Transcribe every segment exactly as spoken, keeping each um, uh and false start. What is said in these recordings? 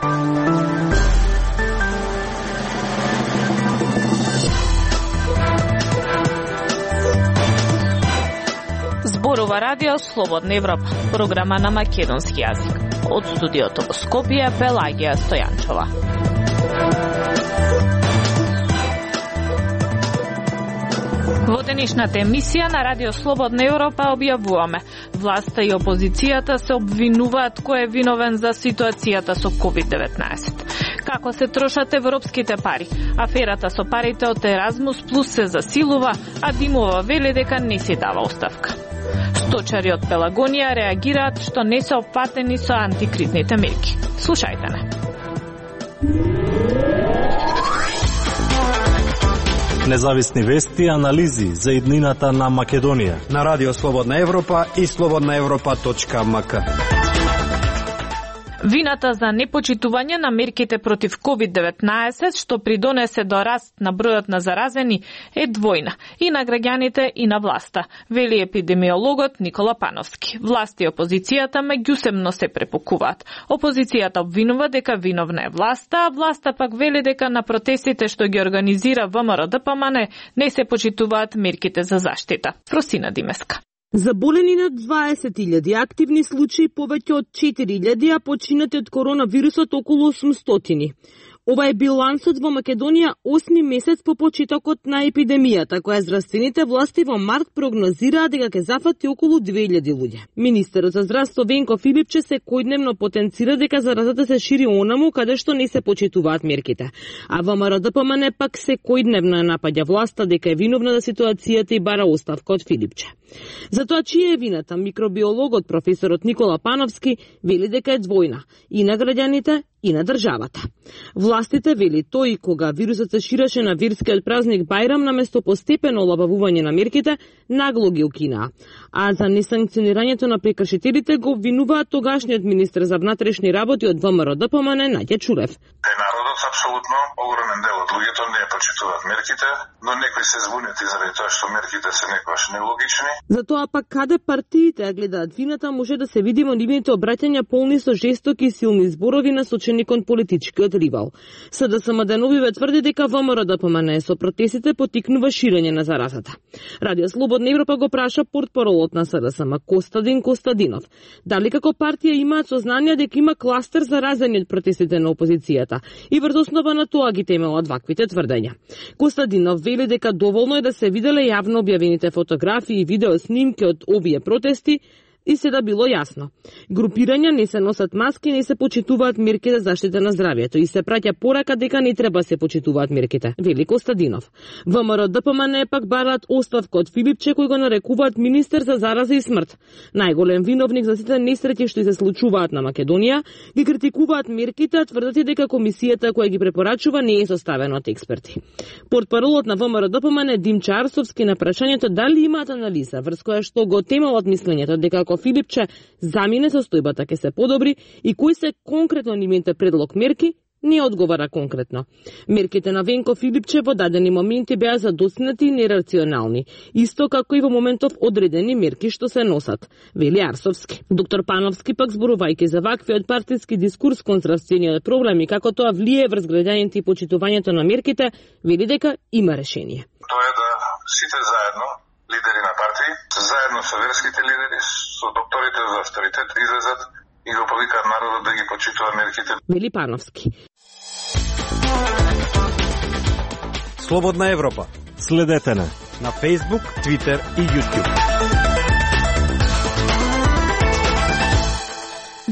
Зборува Радио Слободна Европа, програма на македонски јазик. Од студиото во Скопје, Пелагија Стојанчова. Во денешната емисија на Радио Слободна Европа објавуваме: власта и опозицијата се обвинуваат кој е виновен за ситуацијата со ковид деветнаесет. Како се трошат европските пари? Аферата со парите од Еразмус плюс се засилува, а Димова вели дека не си дава оставка. Сточари од Пелагонија реагираат што не се опфатени со антикризните мерки. Слушајте не. Независни вести и анализи за иднината на Македонија на Радио Слободна Европа и слободна европа точка ем ка. Вината за непочитување на мерките против ковид деветнаесет, што придонесе до раст на бројот на заразени, е двојна и на граѓаните и на власта, вели епидемиологот Никола Пановски. Власт и опозицијата меѓусебно се препукуваат. Опозицијата обвинува дека виновна е власта, а власта пак вели дека на протестите што ги организира ВМРО-ДПМН не се почитуваат мерките за заштита. Просина Димеска. Заболени над дваесет илјади, активни случаи повеќе од четири илјади, а починати од коронавирусот околу осумстотини. Ова е билансот во Македонија осми месец по почетокот на епидемијата, која здравствените власти во март прогнозираа дека ќе зафати околу две илјади луѓе. Министерот за здравство Венко Филипче секојдневно потенцира дека заразата се шири онаму каде што не се почитуваат мерките. А ВМРО-ДПМН пак секојдневно напаѓа власта дека е виновна за ситуацијата и бара оставка од Филипче. За тоа чија е вината, микробиологот професорот Никола Пановски вели дека е двојна и на граѓаните и на државата. Властите вели тој кога вирусот се ширеше на верскиот празник Бајрам наместо постепено олабавување на мерките, нагло ги укинаа. А за несанкционирањето на прекршителите го обвинуваат тогашниот министер за внатрешни работи од ВМРО-ДПМН Наѓа Чурев. Е народот апсолутно огромен дел од луѓето не почитуваат мерките, но некои се збунет и заради тоа што мерките се некогаш нелогични. Затоа пак каде партиите гледаат вината може да се види во нивните обраќања полни со жестоки и силни зборови насочени кон политичкиот ривал. СДСМ деновиве тврди дека ВМРО-ДПМН со протестите поттикнува ширење на заразата. Радио Слободна Европа го праша портпаролот на СДСМ Костадин Костадинов дали како партија имаат сознание дека има кластер заразени од протестите на опозицијата и врз основа на тоа ги темелат ваквите тврдења. Костадинов вели дека доволно е да се виделе јавно објавените фотографии и видео снимки од овие протести и се да било јасно. Групирања не се носат маски, не се почитуваат мерки за заштита на здравјето и се праќа порака дека не треба се почитуваат мерките, вели Костадинов. ВМРО-ДПМН пак бараат оставка од Филипче, кој го нарекуваат министер за зараза и смрт. Најголем виновник за сите несреќи што се случуваат на Македонија, ги критикуваат мерките, а тврдат дека комисијата која ги препорачува не е составена од експерти. Портпаролот на ВМРО-ДПМН Димчо Арсовски на прашањето дали имаат анализа врз која што го темелат мислењето дека Филипче замине состојбата ќе се подобри и кои се конкретно нивните предлог мерки, не одговара конкретно. Мерките на Венко Филипче во дадени моменти беа задоснати и нерационални, исто како и во моментов одредени мерки што се носат, вели Арсовски. Доктор Пановски пак зборувајќи за ваквиот партиски дискурс кон здравствениот проблем и како тоа влие врз граѓаните и почитувањето на мерките, вели дека има решение. Тоа е да сите заедно лидери на партии, заедно со верските лидери, со докторите за авторитет излезат и го повикаат народот да ги почитува мерките. Вели Пановски. Слободна Европа. Следете на на Facebook, Twitter и YouTube.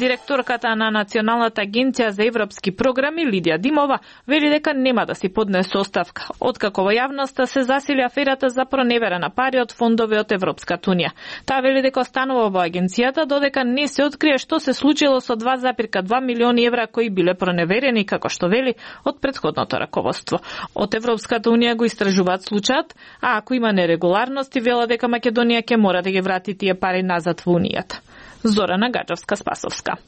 Директорката на Националната агенција за европски програми Лидија Димова вели дека нема да си поднесе оставка, откако во јавноста се засили аферата за проневера на пари од фондови од Европската унија. Таа вели дека останува во агенцијата додека не се открие што се случило со два зарез два милиони евра кои биле проневерени, како што вели, од претходното раководство. Од Европската унија го истражуваат случајот, а ако има нерегуларности, вела дека Македонија ќе мора да ги врати тие пари назад во унијата. Зорана Гаджовска-Спасовска.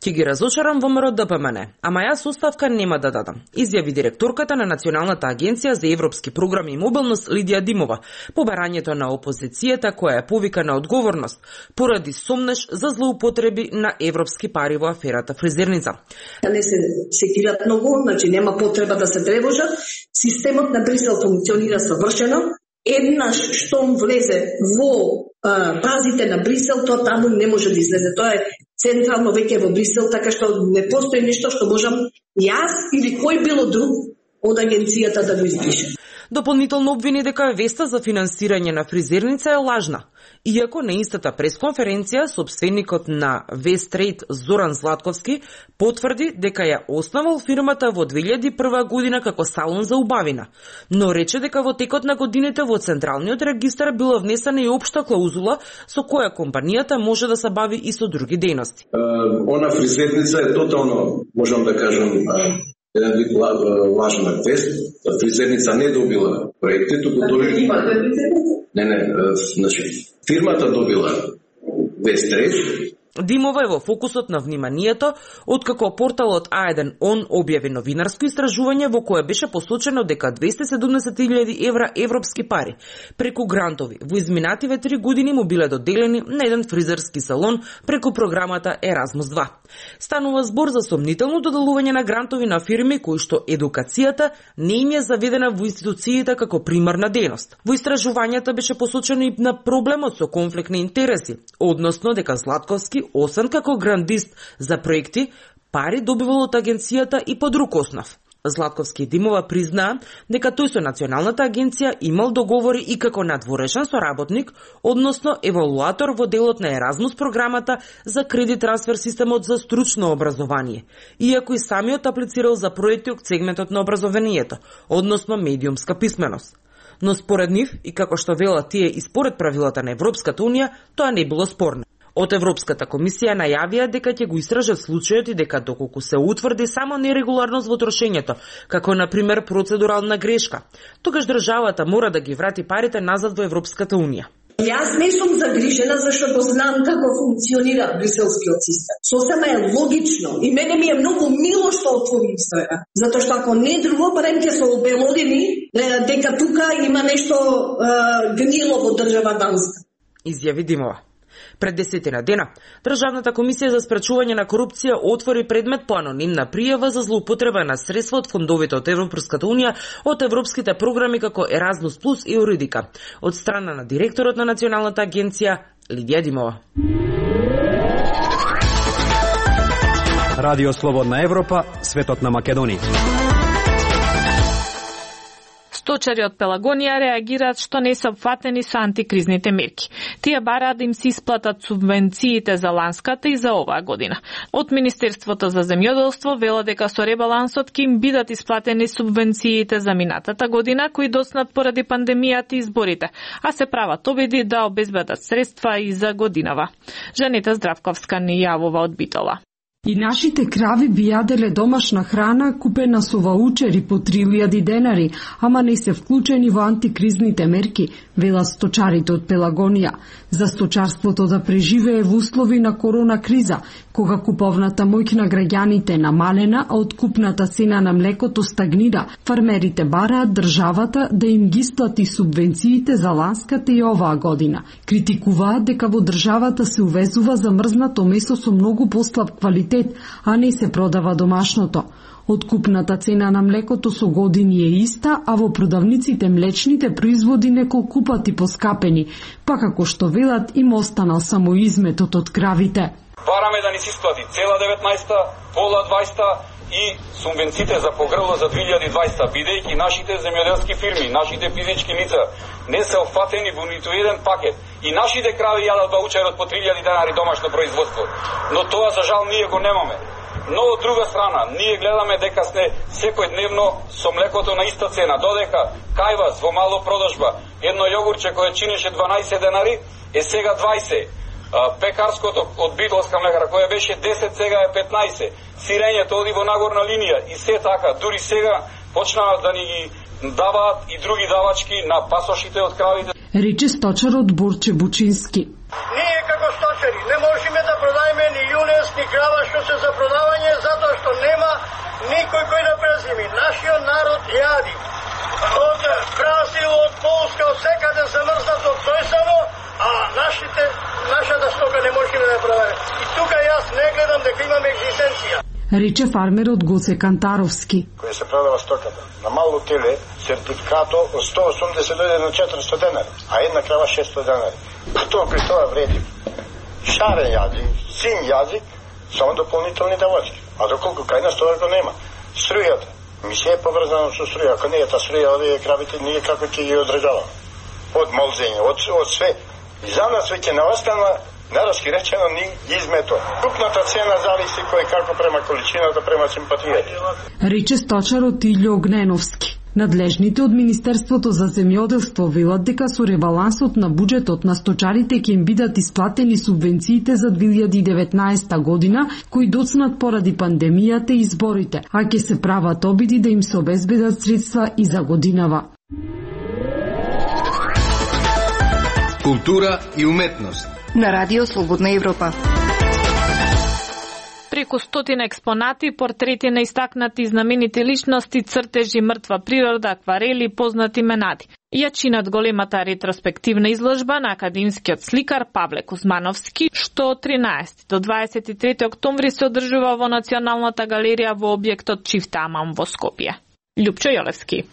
Ќе ги разочарам ВМРО Д П М Н, ама јас оставка нема да дадам, изјави директорката на Националната агенција за европски програми и мобилност Лидија Димова по барањето на опозицијата која е повика на одговорност поради сомнеш за злоупотреби на европски пари во аферата Фризерница. Не се секират многу, значи нема потреба да се тревожат. Системот на Брисел функционира совршено. Еднаш штом влезе во а, базите на Брисел, тоа таму не може да излезе. Тоа е централно веќе во Брисел, така што не постои нешто што можам јас или кој било друг од агенцијата да го избрише. Дополнително обвини дека веста за финансирање на Фризерница е лажна. Иако на истата пресконференција собственикот на Вестрейд Зоран Златковски потврди дека ја основал фирмата во две илјади и прва година како салон за убавина, но рече дека во текот на годините во Централниот регистар била внесена и општа клаузула со која компанијата може да се бави и со други дејности. Uh, она Фризерница е тотално, можам да кажам, uh... еден вид лажна вест. Фризерница не добила проекти, туку доби... Не, не, значи, фирмата добила Вестрейд. Димова е во фокусот на вниманието, откако порталот А еден Он објави новинарско истражување во кое беше посочено дека двесте и седумдесет илјади евра европски пари преку грантови во изминативе три години му биле доделени на еден фризерски салон преку програмата Еразмус два. Станува збор за сомнително доделување на грантови на фирми кои што едукацијата не им е заведена во институциите како примарна дејност. Во истражувањето беше посочено и на проблемот со конфликт на интереси, односно дека Златковски освен како грандист за проекти, пари добивал од агенцијата и по друг основ. Златковски и Димова признаа дека тој со Националната агенција имал договори и како надворешен соработник, односно евалуатор во делот на Еразмус програмата за кредит трансфер системот за стручно образование, иако и самиот аплицирал за проекти од сегментот на образованието, односно медиумска писменост. Но според нив, и како што велат тие и според правилата на Европската унија, тоа не било спорно. Од Европската комисија најавија дека ќе го истражат случајот и дека доколку се утврди само нерегуларност во трошењето, како на пример процедурална грешка, тогаш државата мора да ги врати парите назад во Европската унија. Јас не сум загрижена зашто знам како функционира бриселскиот систем. Сосема е логично и мене ми е многу мило што отвори истрага, затоа што ако не друго, барем ќе се обелодени дека тука има нешто е, гнило во држава Данска. Изјави Димова. Пред десетина дена, Државната комисија за спречување на корупција отвори предмет по анонимна пријава за злоупотреба на средства од фондовите од Европската унија од европските програми како Еразмус плюс и Юридика, од страна на директорот на Националната агенција Лидија Димова. Радио Слободна Европа, светот на Македонија. Сточари од Пелагонија реагираат што не се опфатени со антикризните мерки. Тие бараат да им се исплатат субвенциите за ланската и за оваа година. Од Министерството за земјоделство велат дека со ребалансот ќе им бидат исплатени субвенциите за минатата година кои доцнат поради пандемијата и изборите, а се прават обиди да обезбедат средства и за годинава. Жанета Здравковска ни јавува од Битола. И нашите крави би јаделе домашна храна купена со ваучери по три илјади денари, ама не се вклучени во антикризните мерки, велат сточарите од Пелагонија. За сточарството да преживее во услови на корона криза, кога куповната моќ на граѓаните намалена, а откупната цена на млекото стагнира, фармерите бараат државата да им ги исплати субвенциите за ланската и оваа година. Критикуваат дека во државата се увезува замрзнато месо со многу послаб квалитет, а не се продава домашното. Откупната цена на млекото со години е иста, а во продавниците млечните производи неколку пати поскапени, па како што велат им останал само изметот од кравите. Бараме да ни се исплати цела деветнаесета, пола дваесета и субвенциите за погрело за две илјади и дваесета, бидејќи нашите земјоделски фирми, нашите физички лица не се опфатени во ниту еден пакет и нашите крави јадат ваучерот по три илјади денари домашно производство. Но тоа за жал ние го немаме. Но од друга страна, ние гледаме дека сме секојдневно со млекото на иста цена, додека кај вас во мало продажба едно јогурче кое чинеше дванаесет денари е сега дваесет. Пекарското од Битолска млекара кое беше десет сега е петнаесет. Сирењето оди во нагорна линија и се така, дури сега почнаа да ни ги даваат и други давачки на пасошите од кравите. Рече сточарот Борче Бучински. Ние како сточари не можеме да продајме ни јунес, ни крава што се за продавање затоа што нема никој кој да презими. Нашиот народ јади. Од Бразил, од Полска, од секаде замрзнато тојсано, а нашите, нашата стока не можеме да продаде. И тука јас не гледам дека имаме екзистенција. Рече фармерот Гоце Кантаровски. Кој се продава стоката на мало теле, сертификато од сто и осумдесет дојде на четиристо денари, а една крава шесто денари. Тоа при тоа вреди шарен јазик, син јазик, само дополнителни давачки. А доколку кај нас тоа го нема. Струјата. Ми се е поврзано со струја. Ако не е та струја, овие кравите ние како ќе ги одредаваме. Од молзење, од, од све. И за нас веќе не остана, нараски речено, ни измето. Купната цена зависи кој како према количината, према симпатијата. Рече сточарот Илјо Огненовски. Надлежните од Министерството за земјоделство велат дека со ребалансот на буџетот на сточарите ќе им бидат исплатени субвенциите за две илјади и деветнаесета година, кои доцнат поради пандемијата и изборите, а ќе се прават обиди да им се обезбедат средства и за годинава. Култура и уметност на Радио Слободна Европа. Преку стотина експонати, портрети на истакнати знаменити личности, цртежи, мртва природа, акварели, познати менади. Ја чинат големата ретроспективна изложба на академскиот сликар Павле Кузмановски, што од тринаесети до дваесет и трети октомври се одржува во Националната галерија во објектот Чифтаман во Скопје. Љупчо Јолевски.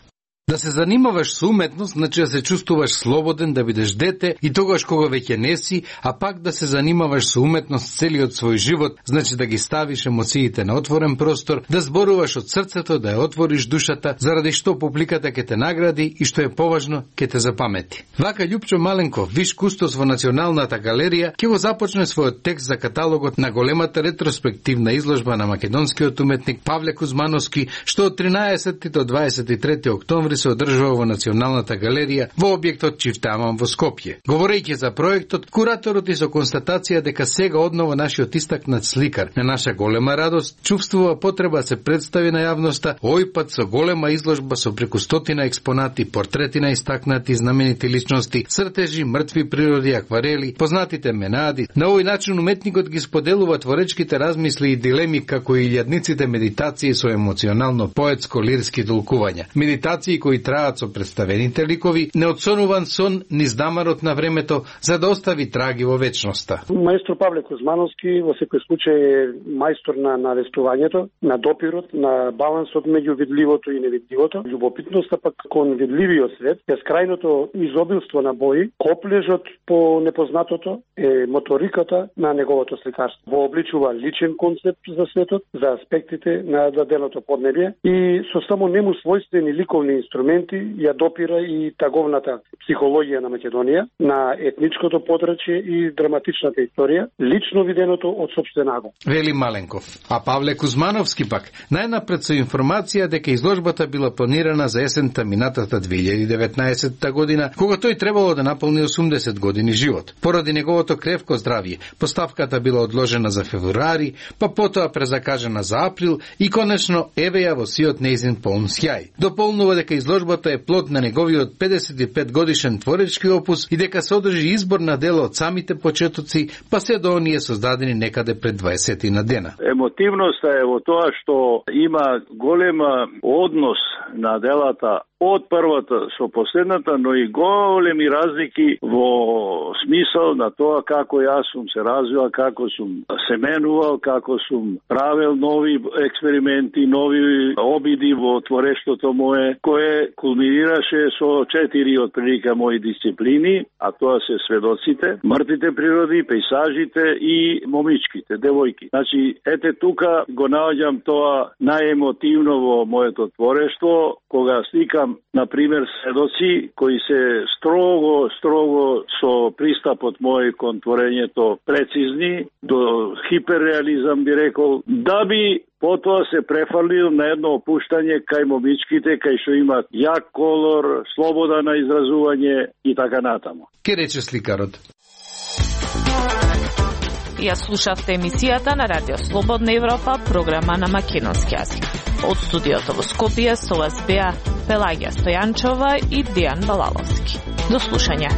Да се занимаваш со уметност, значи да се чувствуваш слободен, да бидеш дете и тогаш кога веќе не си, а пак да се занимаваш со уметност целиот свој живот, значи да ги ставиш емоциите на отворен простор, да зборуваш од срцето, да ја отвориш душата, заради што публиката ќе те награди и што е поважно, ќе те запамети. Вака Љупчо Маленков, виш кустос во Националната галерија, ќе го започне својот текст за каталогот на големата ретроспективна изложба на македонскиот уметник Павле Кузмановски, што од тринаесети до дваесет и трети октомври се одржува во Националната галерија во објектот Чифтаман во Скопје. Говорејќи за проектот, кураторот и со констатација дека сега однова нашиот истакнат сликар на наша голема радост чувствува потреба да се представи на јавноста, овој пат со голема изложба со преку стотина експонати, портрети на истакнати знаменити личности, цртежи, мртви природи, акварели, познатите менади. На овој начин уметникот ги споделува творечките размисли и дилеми како и илјадниците медитации со емоционално поетско-лирски толкувања. Медитации кои траат со представените ликови, неотсонуван сон низ дамарот на времето за да остави траги во вечноста. Маестро Павле Кузмановски во секој случај е мајстор на навестувањето, на допирот, на балансот меѓу видливото и невидливото, љубопитноста пак кон видливиот свет, бескрајното изобилство на бои, коплежот по непознатото е моториката на неговото сликарство. Во обличува личен концепт за светот, за аспектите на даденото поднебје и со само нему својствени ликовни инструменти ја допира и таговната психологија на Македонија, на етничкото подрачје и драматичната историја, лично виденото од сопствен агон. Вели Маленков. А Павле Кузмановски пак, најнапред со информација дека изложбата била планирана за есента минатата две илјади и деветнаесета година, кога тој требало да наполни осумдесет години живот. Поради неговото кревко здравје, поставката била одложена за февруари, па потоа презакажена за април и конечно еве ја во сиот нејзин полн сјај. Дополнува дека изложбата е плод на неговиот педесет и пет годишен творечки опус и дека се одржи избор на дела од самите почетоци, па се до оние создадени некаде пред дваесет на дена. Емотивноста е во тоа што има голема однос на делата од првата со последната, но и големи разлики во смисол на тоа како јас сум се развил, како сум се менувал, како сум правил нови експерименти, нови обиди во творештото мое, кое кулминираше со четири од прилика мои дисциплини, а тоа се сведоците, мртвите природи, пейсажите и момичките, девојки. Значи, ете тука го наоѓам тоа најемотивно во моето творештво, кога сликам на пример сведоци кои се строго, строго со пристапот мој кон творењето прецизни, до хиперреализам би рекол, да би потоа се префрлил на едно опуштање кај момичките, кај што имат јак колор, слобода на изразување и така натаму. Ке рече сликарот. Ја слушавте емисијата на Радио Слободна Европа, програма на македонски јазик. Од студиото во Скопје со вас беа Пелагија Стојанчова и Дијан Балаловски. До слушање.